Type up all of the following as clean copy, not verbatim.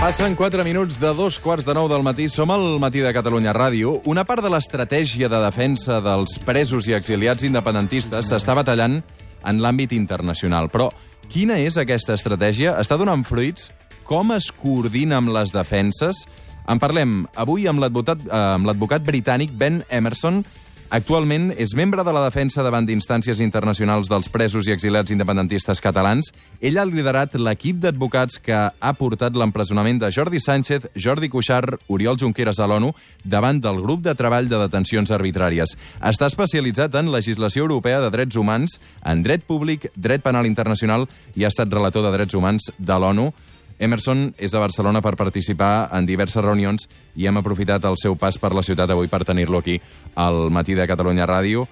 Passen 4 minuts de 2:15 del matí. Som al Matí de Catalunya Ràdio. Una part de l'estratègia de defensa dels presos i exiliats independentistes s'està batallant en l'àmbit internacional. Però quina és aquesta estratègia? Està donant fruits? Com es coordina amb les defenses? En parlem avui amb l'advocat britànic Ben Emmerson. Actualment és membre de la defensa davant d'instàncies internacionals dels presos i exiliats independentistes catalans. Ell ha liderat l'equip d'advocats que ha portat l'empresonament de Jordi Sánchez, Jordi Cuixart, Oriol Junqueras a l'ONU davant del grup de treball de detencions arbitràries. Està especialitzat en legislació europea de drets humans, en dret públic, dret penal internacional i ha estat relator de drets humans de l'ONU. Emmerson és a Barcelona per participar en diverses reunions i hem aprofitat el seu pas per la ciutat avui per tenir-lo aquí al Matí de Catalunya Ràdio.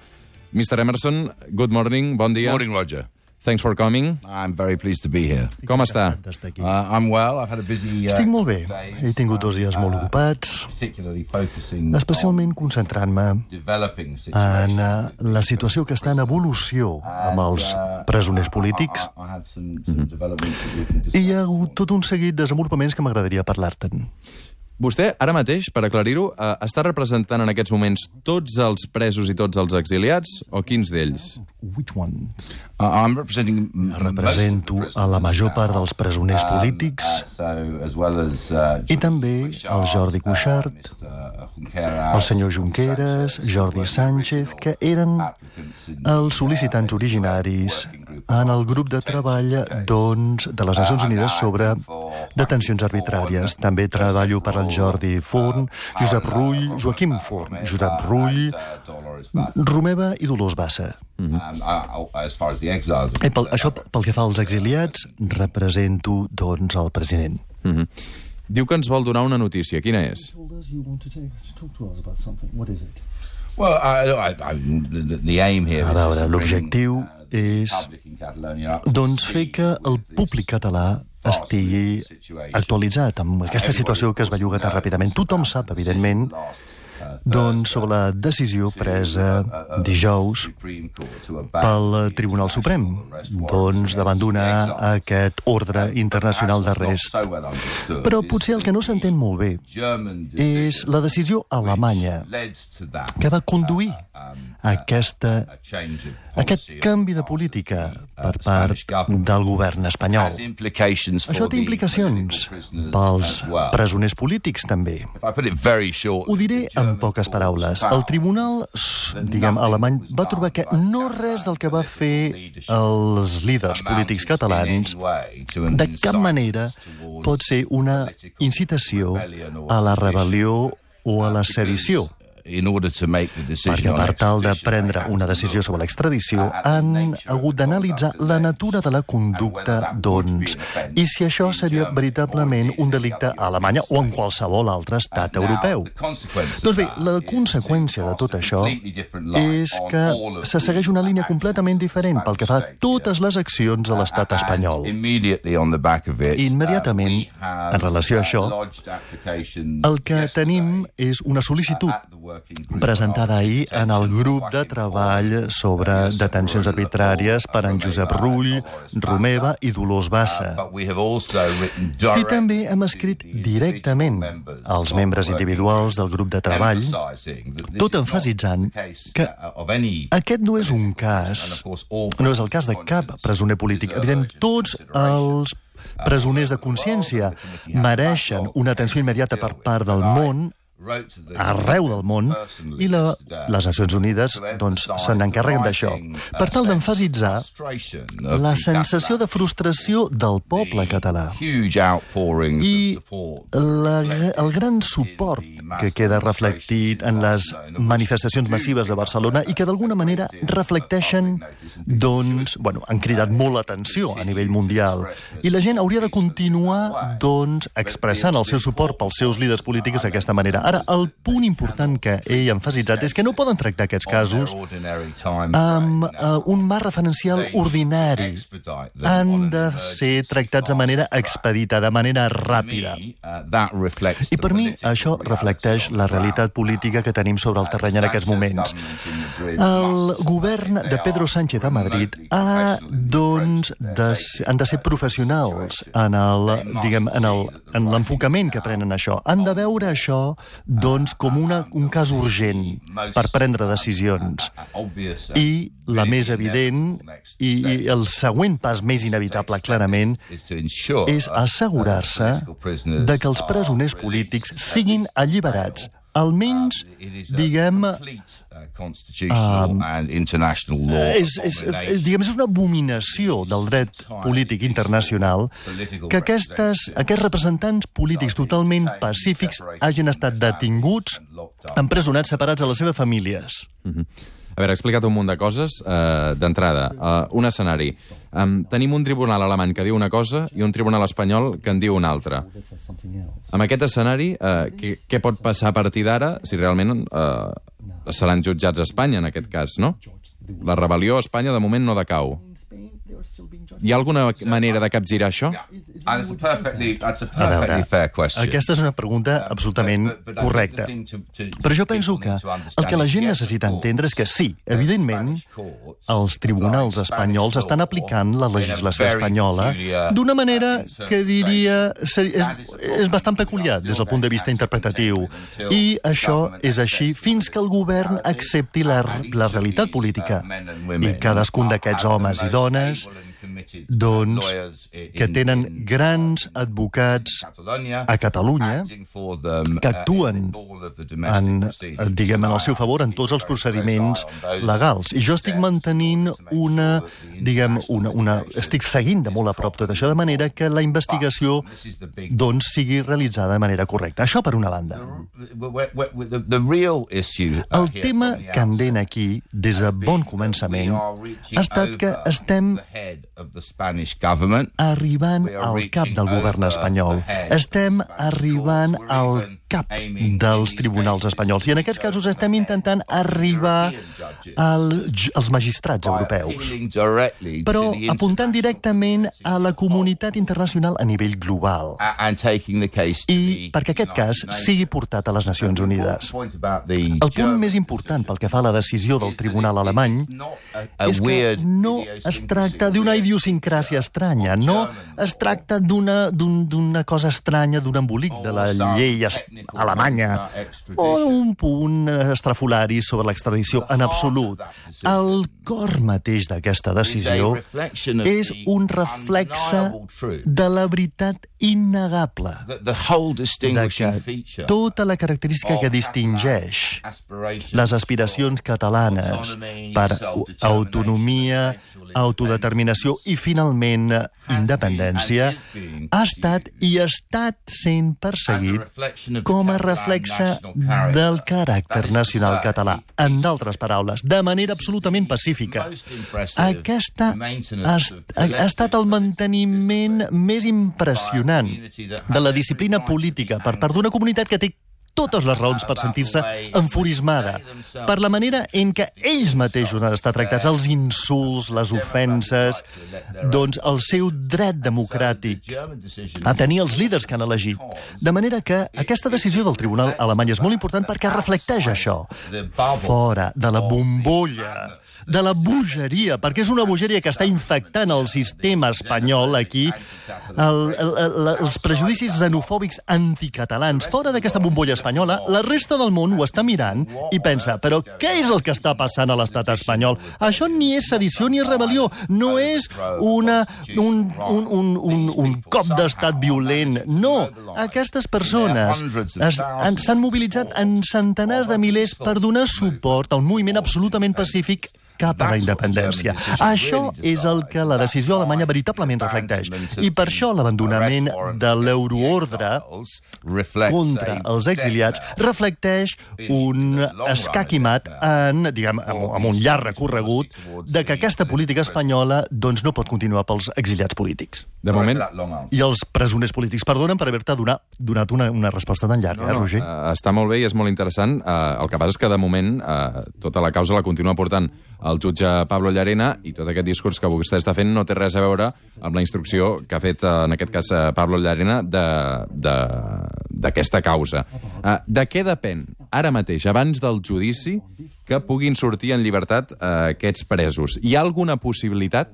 Mr. Emmerson, good morning, bon dia. Morning, Roger. Thanks for coming. I'm very pleased to be here. Com està? I'm well. I've had a busy Estic molt bé. He tingut 2 dies molt ocupats, particularly focusing especialment concentrant-me on developing en situations. la situació que està en evolució amb els presoners polítics. I had some developments that we can I hi ha discuss. hagut tot un seguit de desenvolupaments que m'agradaria parlar-te'n. Vostè, ara mateix, per aclarir-ho, està representant en aquests moments tots els presos i tots els exiliats, o quins d'ells? Which ones? I'm representing Represento a la major part dels presoners polítics i també el Jordi Cuixart, el senyor Junqueras, Jordi Sánchez, que eren els sol·licitants originaris en el grup de treball de les Nacions Unides sobre detencions arbitràries. També treballo per al Jordi Forn, Josep Rull, Joaquim Forn, Josep Rull, Romeva i Dolors Bassa. Això pel que fa als exiliats, represento, doncs, el president. Diu que ens vol donar una notícia. Quina és? Well, the aim here A veure, l'objectiu és, doncs, fer que el públic català estigui actualitzat amb aquesta situació que es belluga tan ràpidament. Tothom sap, evidentment, doncs, sobre la decisió presa dijous pel Tribunal Suprem, doncs, d'abandonar aquest ordre internacional d'arrest. Però potser el que no s'entén molt bé és la decisió alemanya que va conduir a aquest canvi de política per part del govern espanyol. Això té implicacions pels presoners polítics, també. Ho diré en poques paraules. El tribunal, alemany, va trobar que no res del que va fer els líders polítics catalans de cap manera pot ser una incitació a la rebel·lió o a la sedició. Perquè per tal de prendre una decisió sobre l'extradició han hagut d'analitzar la natura de la conducta, doncs, i si això seria veritablement un delicte a Alemanya o en qualsevol altre estat europeu. Doncs bé, la conseqüència de tot això és que se segueix una línia completament diferent pel que fa a totes les accions de l'estat espanyol. Immediatament, en relació a això, el que tenim és una sol·licitud presentada ahir en el grup de treball sobre detencions arbitràries per en Josep Rull, Romeva i Dolors Bassa. I també hem escrit directament als membres individuals del grup de treball, tot emfasitzant que aquest no és un cas, no és el cas de cap presoner polític. Evidentment, tots els presoners de consciència mereixen una atenció immediata per part del món, arreu del món, i les Nacions Unides doncs, se n'encarreguen d'això, per tal d'emfasitzar la sensació de frustració del poble català i el gran suport que queda reflectit en les manifestacions massives de Barcelona i que d'alguna manera reflecteixen, doncs, han cridat molt l'atenció a nivell mundial. I la gent hauria de continuar, doncs, expressant el seu suport pels seus líders polítics d'aquesta manera. Ara, el punt important que he emfasitzat és que no poden tractar aquests casos amb un marc referencial ordinari. Han de ser tractats de manera expedita, de manera ràpida. I per mi això reflecteix reflecteix la realitat política que tenim sobre el terreny en aquests moments. El govern de Pedro Sánchez a Madrid han de ser professionals en l'enfocament que prenen això. Han de veure això com un cas urgent per prendre decisions. I la més evident i el següent pas més inevitable, clarament, és assegurar-se de que els presoners polítics siguin alliberats, almenys, és una abominació del dret polític internacional que aquests representants polítics totalment pacífics hagin estat detinguts, empresonats, separats de les seves famílies. A veure, he explicat un munt de coses. D'entrada, un escenari. Tenim un tribunal alemany que diu una cosa i un tribunal espanyol que en diu una altra. Amb aquest escenari, què pot passar a partir d'ara si realment seran jutjats a Espanya, en aquest cas, no? La rebel·lió a Espanya, de moment, no decau. Hi ha alguna manera de capgirar això? A veure, aquesta és una pregunta absolutament correcta. Però jo penso que el que la gent necessita entendre és que sí, evidentment, els tribunals espanyols estan aplicant la legislació espanyola d'una manera que diria és bastant peculiar des del punt de vista interpretatiu. I això és així fins que el govern accepti la realitat política. I cadascun d'aquests homes i dones que tenen grans advocats a Catalunya que actuen en el seu favor en tots els procediments legals. I jo estic mantenint estic seguint de molt a prop tot això, de manera que la investigació sigui realitzada de manera correcta. Això per una banda. El tema candent aquí, des de bon començament, ha estat que estem arribant al cap del govern espanyol. Estem arribant al cap dels tribunals espanyols. I en aquests casos estem intentant arribar als magistrats europeus, però apuntant directament a la comunitat internacional a nivell global. I perquè aquest cas sigui portat a les Nacions Unides. El punt més important pel que fa a la decisió del tribunal alemany és que no es tracta d'una idiosincràsia estranya, no es tracta d'una cosa estranya, d'un embolic de la llei alemanya o un punt estrafolari sobre l'extradició en absolut. El cor mateix d'aquesta decisió és un reflexe de la veritat innegable, de que tota la característica que distingeix les aspiracions catalanes per autonomia, autodeterminació i, finalment, independència, ha estat i ha estat sent perseguit com a reflexe del caràcter nacional català. En d'altres paraules, de manera absolutament pacífica. Aquesta ha estat el manteniment més impressionant de la disciplina política per part d'una comunitat que té totes les raons per sentir-se enfurismada per la manera en què ells mateixos han estat tractats, els insults, les ofenses, el seu dret democràtic a tenir els líders que han elegit. De manera que aquesta decisió del tribunal alemany és molt important perquè reflecteix això. Fora de la bombolla, de la bogeria, perquè és una bogeria que està infectant el sistema espanyol aquí, els prejudicis xenofòbics anticatalans. Fora d'aquesta bombolla espanyola, la resta del món ho està mirant i pensa, però què és el que està passant a l'estat espanyol? Això ni és sedició ni és rebel·lió, no és un cop d'estat violent, no. Aquestes persones s'han mobilitzat en centenars de milers per donar suport a un moviment absolutament pacífic cap a la independència. Això és el que la decisió alemanya veritablement reflecteix. I per això l'abandonament de l'euroordre contra els exiliats reflecteix un escaquimat amb un llarg recorregut de que aquesta política espanyola no pot continuar pels exiliats polítics. De moment... I els presoners polítics. Perdonen per haver-te donat una resposta tan llarga, Roger? Està molt bé i és molt interessant. El que passa és que, de moment, tota la causa la continua portant el jutge Pablo Llarena i tot aquest discurs que vostè està fent no té res a veure amb la instrucció que ha fet, en aquest cas, Pablo Llarena de d'aquesta causa. De què depèn, ara mateix, abans del judici, que puguin sortir en llibertat aquests presos? Hi ha alguna possibilitat?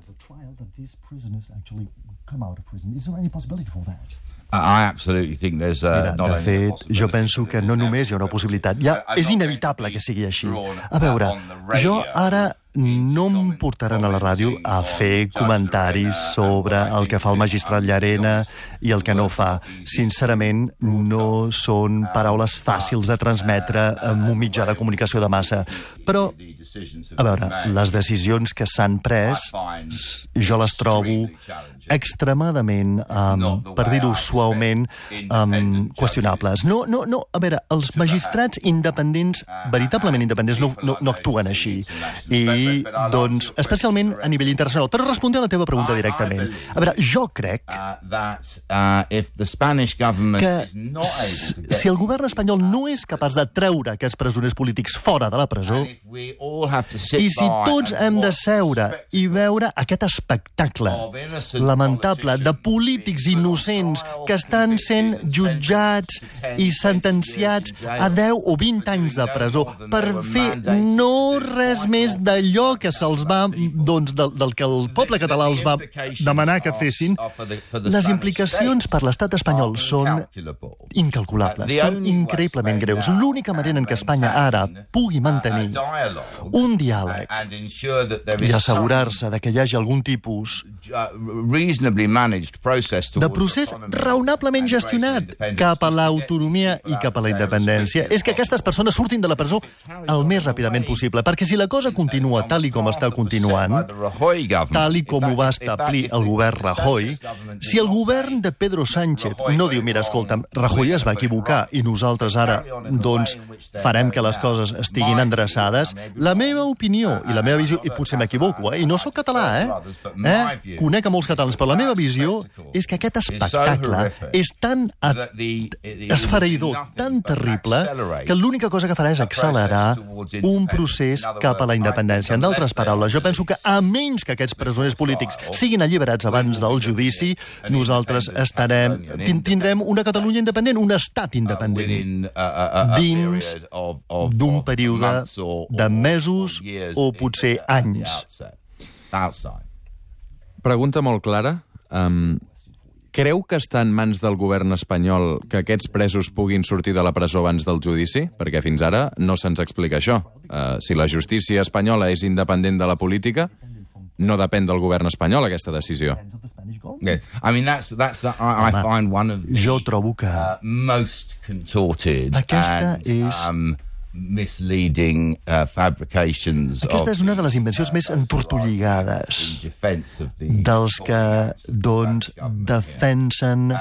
I absolutely think there's Mira, not de only fet, jo penso que no només hi ha una possibilitat, és inevitable que sigui així. A veure, jo ara no em portaran a la ràdio a fer comentaris sobre el que fa el magistrat Llarena i el que no fa. Sincerament, no són paraules fàcils de transmetre en un mitjà de comunicació de massa. Però, a veure, les decisions que s'han pres, jo les trobo extremadament, per dir-ho suaument, qüestionables. No, a veure, els magistrats independents, veritablement independents, no actuen així. I, doncs, especialment a nivell internacional. Però respondre a la teva pregunta directament. A veure, jo crec que si el govern espanyol no és capaç de treure aquests presoners polítics fora de la presó, i si tots hem de seure i veure aquest espectacle lamentable de polítics innocents que estan sent jutjats i sentenciats a 10 o 20 anys de presó per fer no res més d'allò que se'ls va, doncs, del que el poble català els va demanar que fessin, les implicacions per l'estat espanyol són incalculables, són increïblement greus. L'única manera en què Espanya ara pugui mantenir un diàleg i assegurar-se de que hi hagi algun tipus de procés raonablement gestionat cap a l'autonomia i cap a la independència és que aquestes persones surtin de la presó el més ràpidament possible, perquè si la cosa continua tal i com està continuant, tal i com ho va establir el govern Rajoy, si el govern de Pedro Sánchez no diu, mira, escolta'm, Rajoy es va equivocar i nosaltres ara, doncs, farem que les coses estiguin endreçades, la meva opinió i la meva visió, i potser m'equivoco, i no sóc català, conec a molts catalans, però la meva visió és que aquest espectacle és tan esfereïdor, tan terrible, que l'única cosa que farà és accelerar un procés cap a la independència. En d'altres paraules, jo penso que a menys que aquests presoners polítics siguin alliberats abans del judici, nosaltres tindrem una Catalunya independent, un estat independent, dins d'un període de mesos o potser anys. Pregunta molt clara. Creu que està en mans del govern espanyol que aquests presos puguin sortir de la presó abans del judici? Perquè fins ara no se'ns explica això. Si la justícia espanyola és independent de la política, no depèn del govern espanyol aquesta decisió. Jo trobo que aquesta és aquesta és una de les invencions més entortolligades dels que, doncs, defensen,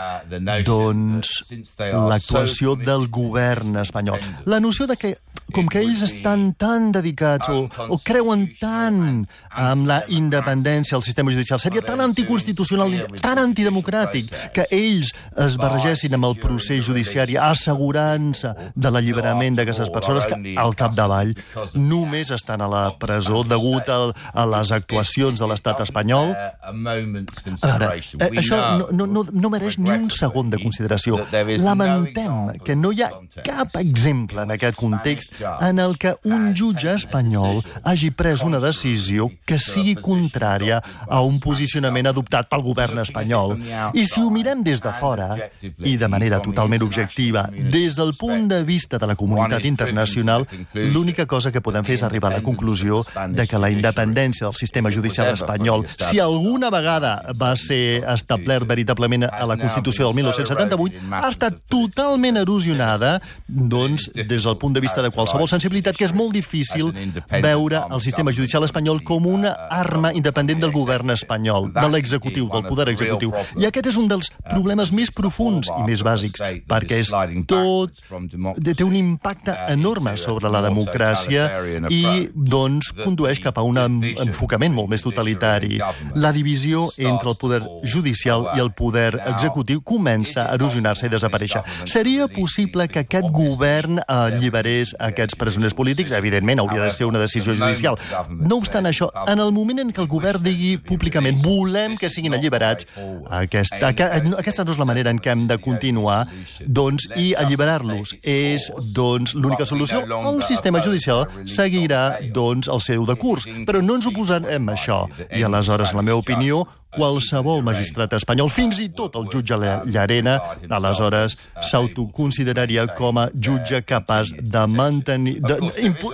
doncs, l'actuació del govern espanyol. La noció de que, com que ells estan tan dedicats o creuen tant amb la independència del sistema judicial, seria tan anticonstitucional, tan antidemocràtic, que ells es barregessin amb el procés judiciari assegurant-se de l'alliberament d'aquestes persones que al capdavall només estan a la presó degut a les actuacions de l'estat espanyol. Ara, això no mereix ni un segon de consideració. Lamentem que no hi ha cap exemple en aquest context en el que un jutge espanyol hagi pres una decisió que sigui contrària a un posicionament adoptat pel govern espanyol. I si ho mirem des de fora, i de manera totalment objectiva, des del punt de vista de la comunitat internacional, l'única cosa que podem fer és arribar a la conclusió de que la independència del sistema judicial espanyol, si alguna vegada va ser establert veritablement a la Constitució del 1978, ha estat totalment erosionada, doncs, des del punt de vista de qualsevol sensibilitat, que és molt difícil veure el sistema judicial espanyol com una arma independent del govern espanyol, de l'executiu, del poder executiu. I aquest és un dels problemes més profuns i més bàsics, perquè és tot, té un impacte enorme sobre la democràcia i, doncs, condueix cap a un enfocament molt més totalitari. La divisió entre el poder judicial i el poder executiu comença a erosionar-se i desaparèixer. Seria possible que aquest govern alliberés aquests aquests presoners polítics, evidentment hauria de ser una decisió judicial. No obstant això, en el moment en què el govern digui públicament volem que siguin alliberats, aquesta no és la manera en què hem de continuar, doncs, i alliberar-los és, doncs, l'única solució. El sistema judicial seguirà, doncs, el seu decurs, però no ens oposarem a això. I aleshores, en la meva opinió, qualsevol magistrat espanyol, fins i tot el jutge Llarena, aleshores s'autoconsideraria com a jutge capaç de mantenir,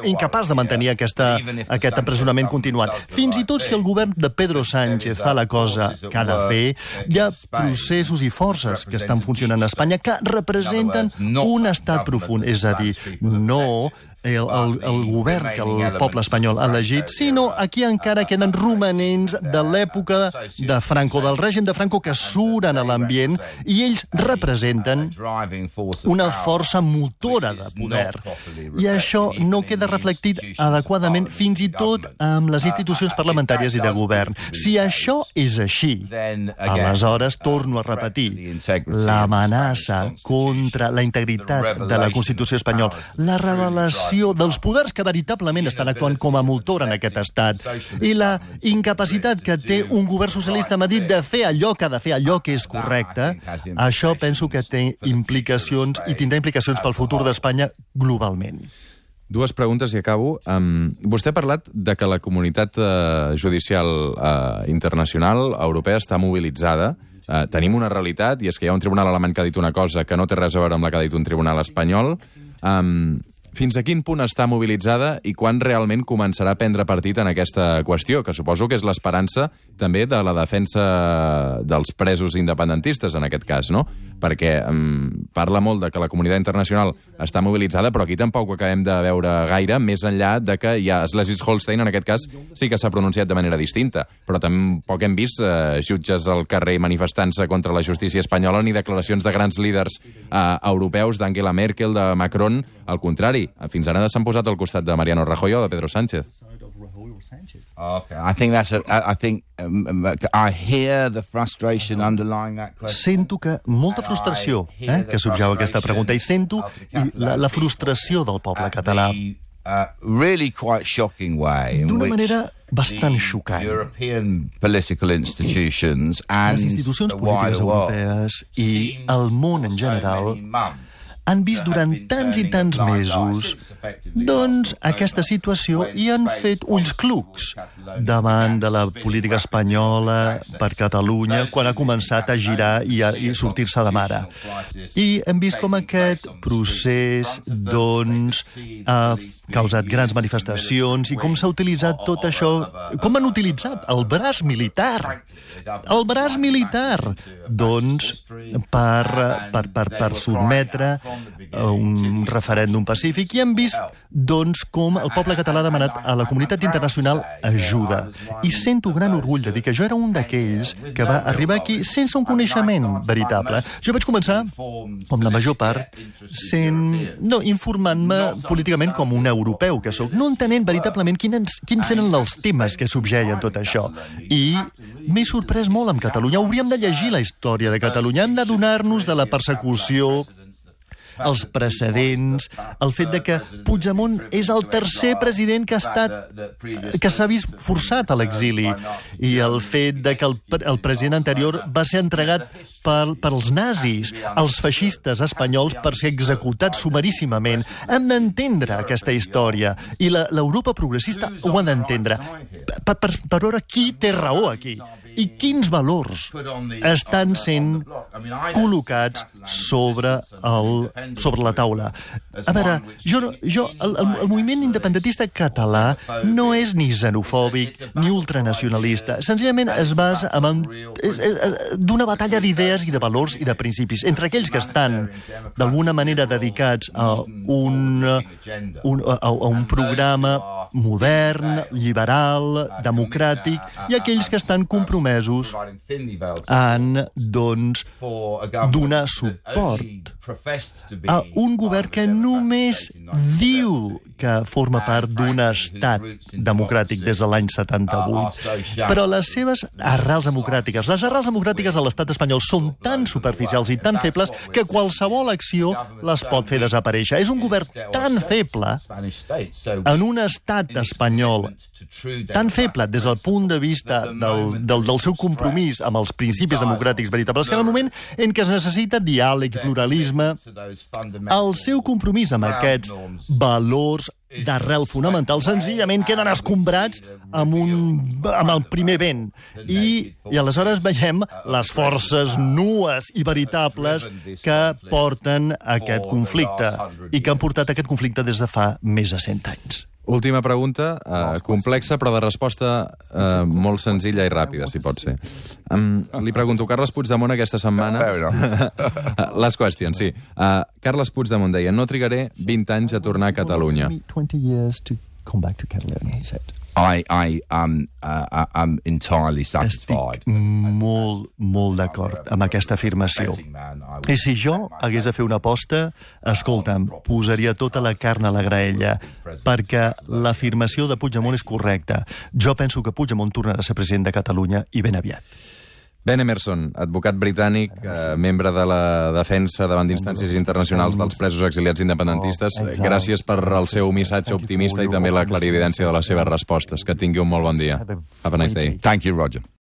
incapaç de mantenir aquest empresonament continuat. Fins i tot si el govern de Pedro Sánchez fa la cosa que ha de fer, hi ha processos i forces que estan funcionant a Espanya que representen un estat profund, és a dir, no el govern que el poble espanyol ha elegit, sinó aquí encara queden romanents de l'època de Franco, del règim de Franco, que suren a l'ambient, i ells representen una força motora de poder. I això no queda reflectit adequadament fins i tot amb les institucions parlamentàries i de govern. Si això és així, aleshores, torno a repetir, l'amenaça contra la integritat de la Constitució espanyola, la revelació dels poders que veritablement estan actuant com a motor en aquest estat i la incapacitat que té un govern socialista a Madrid de fer allò que ha de fer, allò que és correcte, això penso que té implicacions i tindrà implicacions pel futur d'Espanya globalment. Dues preguntes i acabo. Vostè ha parlat de que la comunitat judicial internacional europea està mobilitzada. Tenim una realitat, i és que hi ha un tribunal alemany que ha dit una cosa que no té res a veure amb la que ha dit un tribunal espanyol. Fins a quin punt està mobilitzada i quan realment començarà a prendre partit en aquesta qüestió, que suposo que és l'esperança també de la defensa dels presos independentistes, en aquest cas, no? Perquè parla molt de que la comunitat internacional està mobilitzada, però aquí tampoc ho acabem de veure gaire, més enllà de que ja Schleswig-Holstein, en aquest cas, sí que s'ha pronunciat de manera distinta, però tampoc hem vist jutges al carrer manifestant-se contra la justícia espanyola ni declaracions de grans líders europeus, d'Angela Merkel, de Macron, al contrari. Fins ara s'han posat al costat de Mariano Rajoy o de Pedro Sánchez. Okay, I hear the frustration underlying that question. Sento que molta frustració que subjau aquesta pregunta, i sento la frustració del poble català. Really quite shocking way in d'una which manera bastant xocant. European political institutions and Les institucions the polítiques wider world europees i el món en general han vist durant tants i tants mesos doncs aquesta situació i han fet ulls clucs davant de la política espanyola per Catalunya quan ha començat a girar i sortir-se de mare. I hem vist com aquest procés doncs ha causat grans manifestacions i com s'ha utilitzat tot això, com han utilitzat el braç militar. El braç militar, doncs, per sotmetre un referèndum pacífic, i hem vist, doncs, com el poble català ha demanat a la comunitat internacional ajuda. I sento gran orgull de dir que jo era un d'aquells que va arribar aquí sense un coneixement veritable. Jo vaig començar, com la major part, informant-me políticament com un europeu que sóc, no entenent veritablement quins eren els temes que subjeien tot això. I m'he sorprès molt amb Catalunya. Hauríem de llegir la història de Catalunya. Hem d'adonar-nos de la persecució, els precedents, el fet de que Puigdemont és el tercer president que s'ha vist forçat a l'exili, i el fet de que el president anterior va ser entregat pels nazis, els feixistes espanyols, per ser executats sumaríssimament. Hem d'entendre aquesta història, i l'Europa progressista ho ha d'entendre, per veure qui té raó aquí i quins valors estan sent col·locats sobre la taula. A veure, el moviment independentista català no és ni xenofòbic ni ultranacionalista. Senzillament es basa d'una batalla d'idees i de valors i de principis entre aquells que estan d'alguna manera dedicats a un programa modern, liberal, democràtic, i aquells que estan compromesos en, doncs, donar suport a un govern que només diu que forma part d'un estat democràtic des de l'any 78. Però les seves arrels democràtiques, les arrels democràtiques de l'estat espanyol són tan superficials i tan febles que qualsevol acció les pot fer desaparèixer. És un govern tan feble en un estat espanyol, tan feble des del punt de vista del seu compromís amb els principis democràtics veritables, que en el moment en què es necessita diàleg i pluralisme, el seu compromís amb aquests valors d'arrel fonamental senzillament queden escombrats amb el primer vent. I aleshores veiem les forces nues i veritables que porten aquest conflicte i que han portat aquest conflicte des de fa més de 100 anys. Última pregunta, complexa, però de resposta molt senzilla i ràpida, si pot ser. Li pregunto, Carles Puigdemont aquesta setmana... Les qüestions, sí. Carles Puigdemont deia, no trigaré 20 anys a tornar a Catalunya. I'm entirely satisfied. Estic molt d'acord amb aquesta afirmació. I si jo hagués de fer una aposta, escolta'm, posaria tota la carn a la graella, perquè l'afirmació de Puigdemont és correcta. Jo penso que Puigdemont tornarà a ser president de Catalunya i ben aviat. Ben Emerson, advocat britànic, membre de la defensa davant d'instàncies internacionals dels presos exiliats independentistes. Gràcies per el seu missatge optimista i també la clarividència de les seves respostes. Que tingui un molt bon dia. Have a nice day. Thank you, Roger.